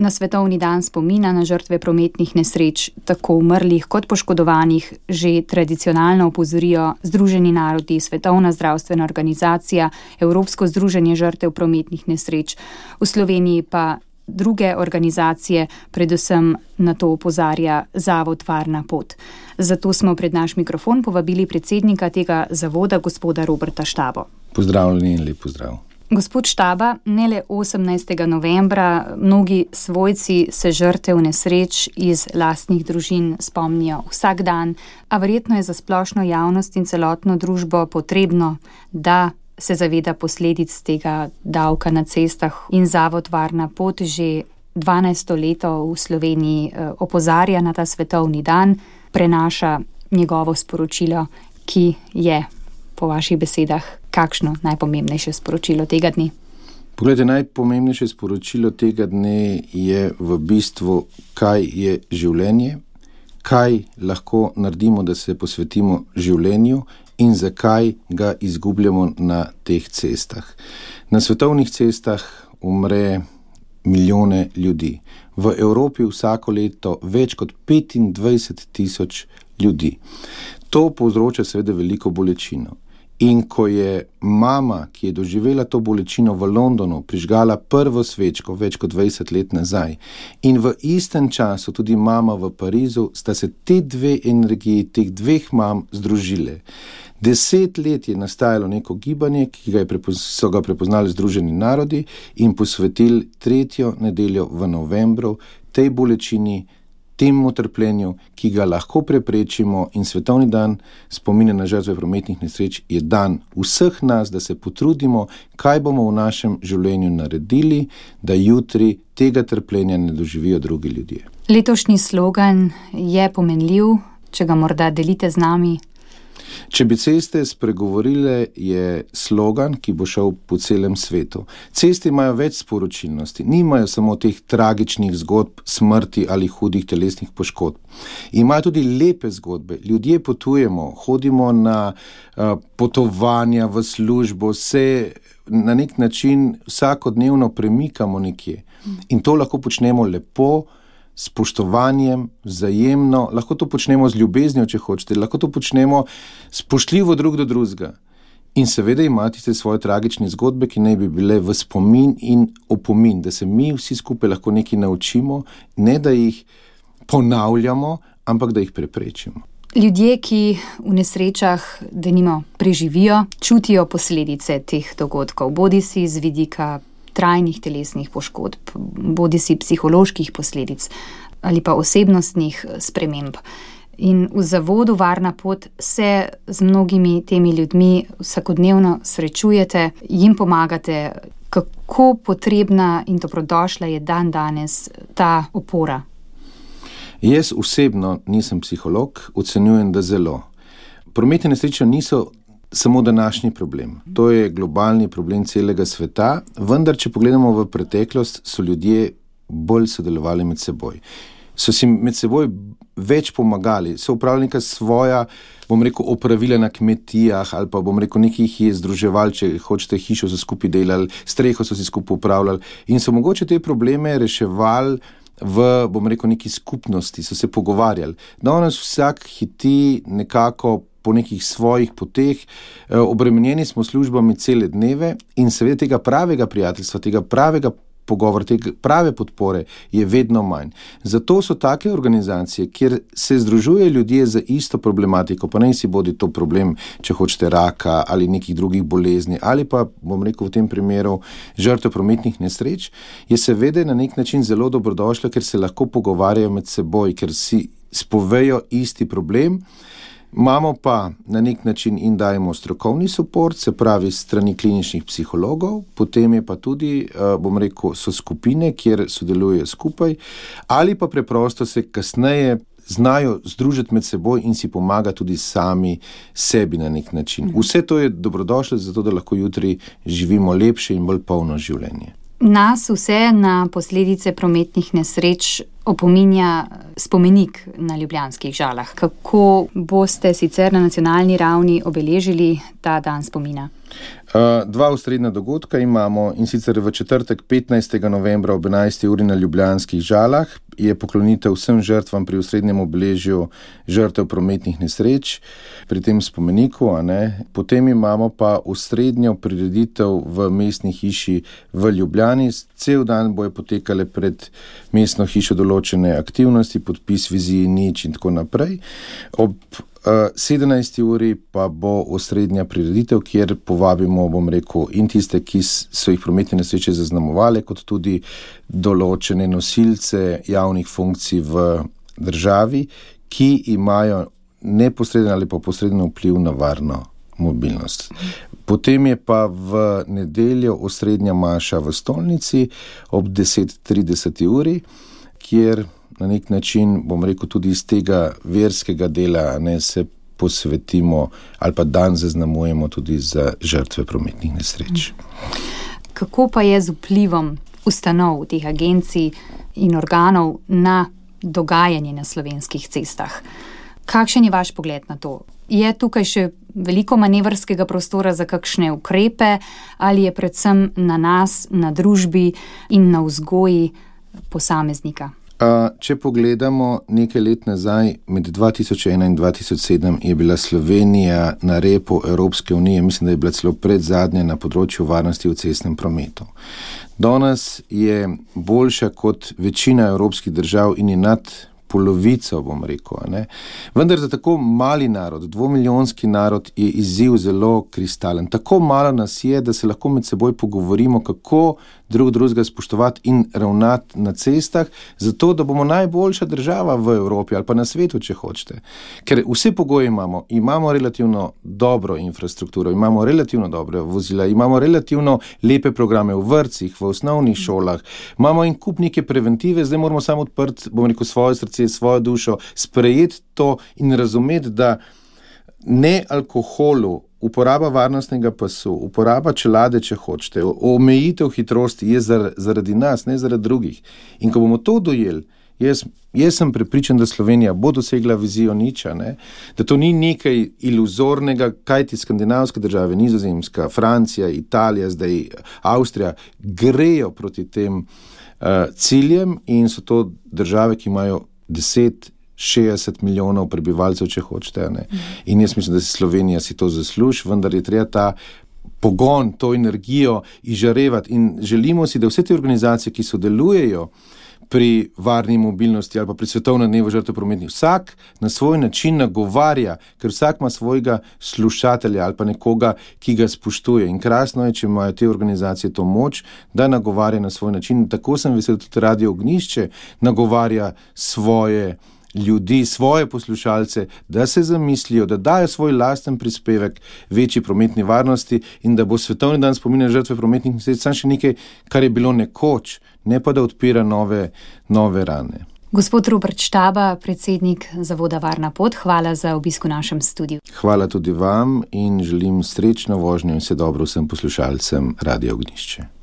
Na Svetovni dan spomina na žrtve prometnih nesreč, tako umrlih kot poškodovanih, že tradicionalno opozorijo Združeni narodi, Svetovna zdravstvena organizacija, Evropsko združenje žrtev prometnih nesreč. V Sloveniji pa druge organizacije, predvsem na to opozarja Zavod Varna pot. Zato smo pred naš mikrofon povabili predsednika tega zavoda, gospoda Roberta Štabo. Pozdravljeni in lep pozdrav. Gospod Štaba, ne le 18. novembra, mnogi svojci se žrtev nesreč iz lastnih družin spomnijo vsak dan, a verjetno je za splošno javnost in celotno družbo potrebno, da se zaveda posledic tega davka na cestah, in Zavod Varna pot že 12. leto v Sloveniji opozarja na ta svetovni dan, prenaša njegovo sporočilo, ki je po vaših besedah kakšno najpomembnejše sporočilo tega dne? Poglejte, najpomembnejše sporočilo tega dne je v bistvu, kaj je življenje, kaj lahko naredimo, da se posvetimo življenju in zakaj ga izgubljamo na teh cestah. Na svetovnih cestah umre milijone ljudi. V Evropi vsako leto več kot 25,000 ljudi. To povzroča seveda veliko bolečino. In ko je mama, ki je doživela to bolečino v Londonu, prižgala prvo svečko več kot 20 let nazaj, in v istem času tudi mama v Parizu, sta se te dve energiji, teh dveh mam združile. 10 let je nastajalo neko gibanje, ki so ga prepoznali Združeni narodi in posvetili 3. nedeljo v novembru tej bolečini, temu trpljenju, ki ga lahko preprečimo, in svetovni dan spomina na žrtve prometnih nesreč je dan vseh nas, da se potrudimo, kaj bomo v našem življenju naredili, da jutri tega trpljenja ne doživijo drugi ljudje. Letošnji slogan je pomenljiv, če ga morda delite z nami. Če bi ceste spregovorile, je slogan, ki bo šel po celem svetu. Ceste imajo več sporočilnosti, nimajo samo teh tragičnih zgodb smrti ali hudih telesnih poškodb. Imajo tudi lepe zgodbe. Ljudje potujemo, hodimo na potovanja v službo, se na nek način vsakodnevno premikamo nekje. In to lahko počnemo lepo, spoštovanjem, vzajemno, lahko to počnemo z ljubeznijo, če hočete, lahko to počnemo spoštljivo drug do drugega. In seveda imate tiste svoje tragične zgodbe, ki naj bi bile v spomin in opomin, da se mi vsi skupaj lahko nekaj naučimo, ne da jih ponavljamo, ampak da jih preprečimo. Ljudje, ki v nesrečah denimo preživijo, čutijo posledice teh dogodkov, bodisi z vidika trajnih telesnih poškodb, bodisi psiholoških posledic ali pa osebnostnih sprememb. In v Zavodu Varna pot se z mnogimi temi ljudmi vsakodnevno srečujete, jim pomagate. Kako potrebna in dobrodošla je danes ta opora? Jaz osebno nisem psiholog, ocenjujem, da zelo. Prometne nesreče niso samo današnji problem. To je globalni problem celega sveta, vendar, če pogledamo v preteklost, so ljudje bolj sodelovali med seboj. So si med seboj več pomagali, so upravljali neka svoja, opravila na kmetijah, ali pa nekaj jih je združevali, če hočete, hišo so skupaj delali, streho so si skupaj upravljali in so mogoče te probleme reševali v, neki skupnosti, so se pogovarjali. Danes vsak hiti nekako po nekih svojih poteh, obremenjeni smo službami cele dneve in seveda tega pravega prijateljstva, tega pravega pogovora, tega prave podpore je vedno manj. Zato so take organizacije, kjer se združujejo ljudje za isto problematiko, pa naj si bodi to problem, če hočete, raka ali nekih drugih bolezni, ali pa, v tem primeru, žrtev prometnih nesreč, je seveda na nek način zelo dobrodošla, ker se lahko pogovarjajo med seboj, ker si spovejo isti problem. Imamo pa na nek način in dajemo strokovni suport, se pravi strani kliničnih psihologov, potem je pa tudi, so skupine, kjer sodelujejo skupaj, ali pa preprosto se kasneje znajo združiti med seboj in si pomaga tudi sami sebi na nek način. Vse to je dobrodošlo, zato da lahko jutri živimo lepše in bolj polno življenje. Nas vse na posledice prometnih nesreč opominja spomenik na Ljubljanskih Žalah. Kako boste sicer na nacionalni ravni obeležili ta dan spomina? Dva osrednja dogodka imamo, in sicer v četrtek 15. novembra ob 11. uri na Ljubljanskih Žalah je poklonitev vsem žrtvam pri osrednjem obeležju žrtev prometnih nesreč pri tem spomeniku. Potem imamo pa osrednjo prireditev v mestni hiši v Ljubljani. Cel dan bojo potekale pred mestno hišo določene aktivnosti, podpis viziji nič in tako naprej. Ob 17. uri pa bo osrednja prireditev, kjer povabimo, in tiste, ki so jih prometne nesreče zaznamovali, kot tudi določene nosilce javnih funkcij v državi, ki imajo neposreden ali pa posreden vpliv na varno mobilnost. Potem je pa v nedeljo osrednja maša v stolnici ob 10:30 uri, kjer na nek način, tudi iz tega verskega dela se posvetimo ali pa dan zaznamujemo tudi za žrtve prometnih nesreč. Kako pa je z vplivom ustanov, teh agencij in organov na dogajanje na slovenskih cestah? Kakšen je vaš pogled na to? Je tukaj še veliko manevrskega prostora za kakšne ukrepe ali je predvsem na nas, na družbi in na vzgoji posameznika? Če pogledamo nekaj let nazaj, med 2001 in 2007 je bila Slovenija na repu Evropske unije, mislim, da je bila celo predzadnja na področju varnosti v cestnem prometu. Danes je boljša kot večina evropskih držav in je nad polovico, Vendar za tako mali narod, 2-milijonski narod, je izziv zelo kristalen. Tako malo nas je, da se lahko med seboj pogovorimo, kako drugega spoštovati in ravnati na cestah, zato da bomo najboljša država v Evropi ali pa na svetu, če hočete. Ker vse pogoje imamo relativno dobro infrastrukturo, imamo relativno dobre vozila, imamo relativno lepe programe v vrtcih, v osnovnih šolah, imamo en kup neke preventive, zdaj moramo samo odprti, svoje srce, svojo dušo, sprejeti to in razumeti, da ne alkoholu, uporaba varnostnega pasu, uporaba čelade, če hočete, omejitev hitrosti je zaradi nas, ne zaradi drugih. In ko bomo to dojeli, jaz sem prepričan, da Slovenija bo dosegla vizijo niča, da to ni nekaj iluzornega, kajti skandinavske države, Nizozemska, Francija, Italija, zdaj Avstrija, grejo proti tem ciljem in so to države, ki imajo 60 milijonov prebivalcev, če hočete. In jaz mislim, da Slovenija si to zasluži, vendar je treba ta pogon, to energijo izžarevati in želimo si, da vse te organizacije, ki sodelujejo pri varni mobilnosti ali pa pri svetovnem dnevu žrtev prometnih, vsak na svoj način nagovarja, ker vsak ima svojega slušatelja ali pa nekoga, ki ga spoštuje. In krasno je, če imajo te organizacije to moč, da nagovarja na svoj način. Tako sem vesel, tudi Radio Ognjišče nagovarja svoje ljudi, svoje poslušalce, da se zamislijo, da dajo svoj lasten prispevek večji prometni varnosti in da bo svetovni dan spominja žrtve prometnih nesreč samo še nekaj, kar je bilo nekoč, ne pa da odpira nove rane. Gospod Robert Štaba, predsednik Zavoda Varna pot, hvala za obisk v našem studiu. Hvala tudi vam in želim srečno vožnjo in vse dobro vsem poslušalcem Radio Ognjišče.